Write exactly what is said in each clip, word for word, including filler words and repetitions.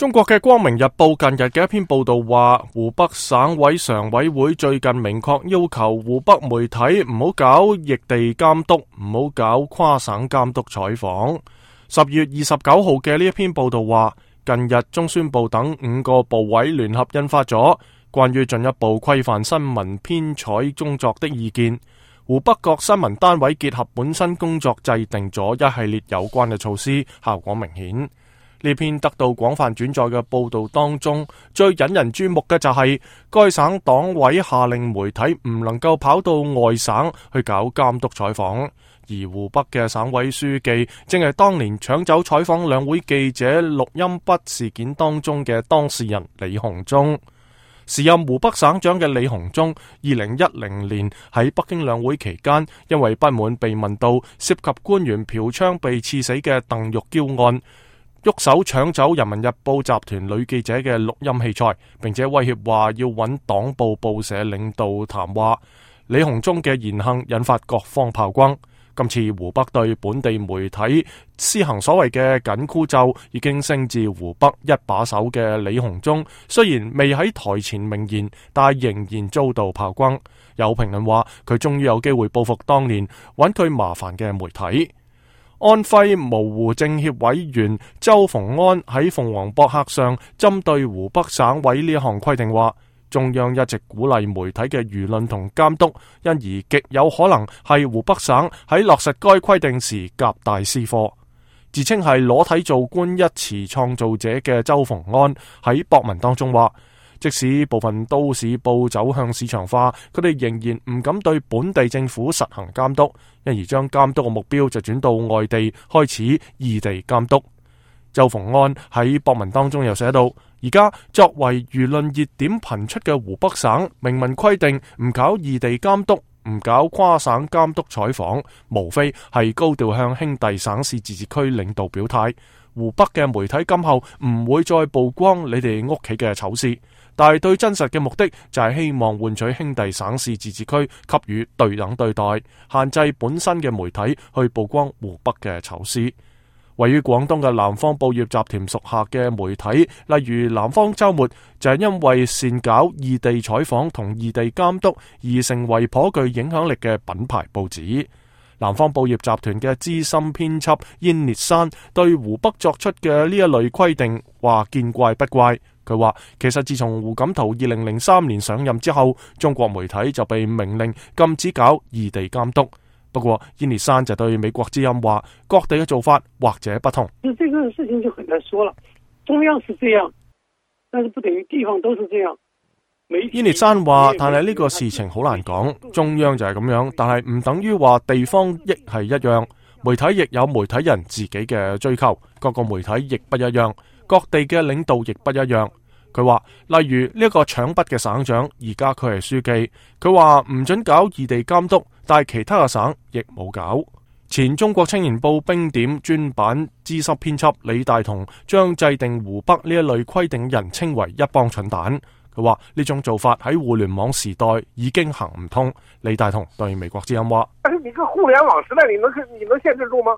中國嘅光明日報近日嘅一篇報道話，湖北省委常委會最近明確要求湖北媒體唔好搞異地監督，唔好搞跨省監督採訪。十月二十九號嘅呢一篇報道話，近日中宣部等五個部委聯合印發咗關於進一步規範新聞編採工作的意見，湖北各新聞單位結合本身工作制定咗一系列有關嘅措施，效果明顯。呢篇得到廣泛轉載嘅報道當中，最引人注目嘅就係該省黨委下令媒體唔能夠跑到外省去搞監督採訪，而湖北嘅省委書記正係當年搶走採訪兩會記者錄音筆事件當中嘅當事人李鴻忠。時任湖北省長嘅李鴻忠，二零一零年喺北京兩會期間，因為不滿被問到涉及官員嫖娼被刺死嘅鄧玉嬌案，喐手搶走人民日報集團女記者嘅錄音器材，並且威脅話要揾黨報報社領導談話。李鴻忠嘅言行引發各方炮轟。今次湖北對本地媒體施行所謂嘅緊箍咒，已經升至湖北一把手嘅李鴻忠，雖然未喺台前明言，但仍然遭到炮轟。有評論話佢終於有機會報復當年揾佢麻煩嘅媒體。安徽蕪湖政協委員周逢安喺鳳凰博客上針對湖北省委呢一項規定話，中央一直鼓勵媒體嘅輿論同監督，因而極有可能係湖北省喺落實該規定時夾帶私貨。自稱係裸體做官一詞創造者嘅周逢安喺博文當中話，即使部分都市報走向市場化，佢哋仍然唔敢對本地政府實行監督，因而將監督嘅目標就轉到外地，開始異地監督。周逢安喺博文當中又寫到，而家作為輿論熱點頻出嘅湖北省，明文規定唔搞異地監督，唔搞跨省監督採訪，無非係高調向兄弟省市自治區領導表態。湖北嘅媒體今後唔會再曝光你哋屋企嘅醜事，但係對真實嘅目的就係希望換取兄弟省市自治區給予對等對待，限制本身嘅媒體去曝光湖北嘅醜事。位於廣東嘅南方報業集團屬下嘅媒體，例如南方周末，就係因為擅搞異地採訪同異地監督而成為頗具影響力嘅品牌報紙。南方報業集團嘅資深編輯燕烈山對湖北作出嘅呢一類規定話見怪不怪。佢話其實自從胡錦濤二零零三年上任之後，中國媒體就被明令禁止搞異地監督。不過燕烈山就對美國之音話，各地嘅做法或者不同。這個事情就很難說了，中央是這樣，但是不等於地方都是這樣。燕烈山話，但係呢個事情好難講，中央就係咁樣，但係唔等於話地方亦係一樣。媒體亦有媒體人自己嘅追求，各個媒體亦不一樣，各地嘅領導亦不一樣。佢話，例如呢一個搶筆嘅省長，而家佢係書記，佢話唔准搞異地監督，但係其他嘅省亦冇搞。前中國青年報冰點專版資深編輯李大同將制定湖北呢一類規定人稱為一幫蠢蛋。佢話呢種做法喺互聯網時代已經行唔通。李大同對美國之音話：但是你個互聯網時代，你能你能限制住嗎？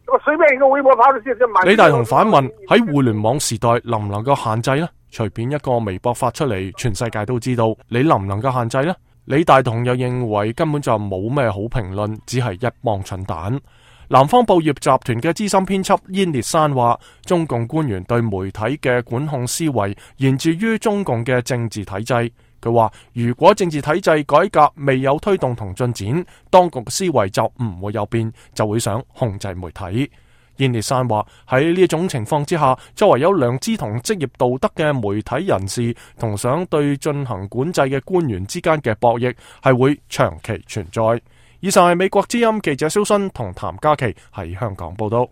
我隨便一個微博發出去，李大同反問：喺互聯網時代能唔能夠限制呢？隨便一個微博發出嚟，全世界都知道，你能唔能夠限制呢？李大同又認為根本就冇咩好評論，只係一幫蠢蛋。南方報業集團嘅資深編輯燕烈山話，中共官員對媒體嘅管控思維源自於中共嘅政治體制。佢話，如果政治體制改革未有推動同進展，當局嘅思維就唔會有變，就會想控制媒體。燕烈山話，喺呢種情況之下，作為有良知同職業道德嘅媒體人士同想對進行管制嘅官員之間嘅博弈係會長期存在。以上係美國之音記者蕭新同譚嘉琪喺香港報道。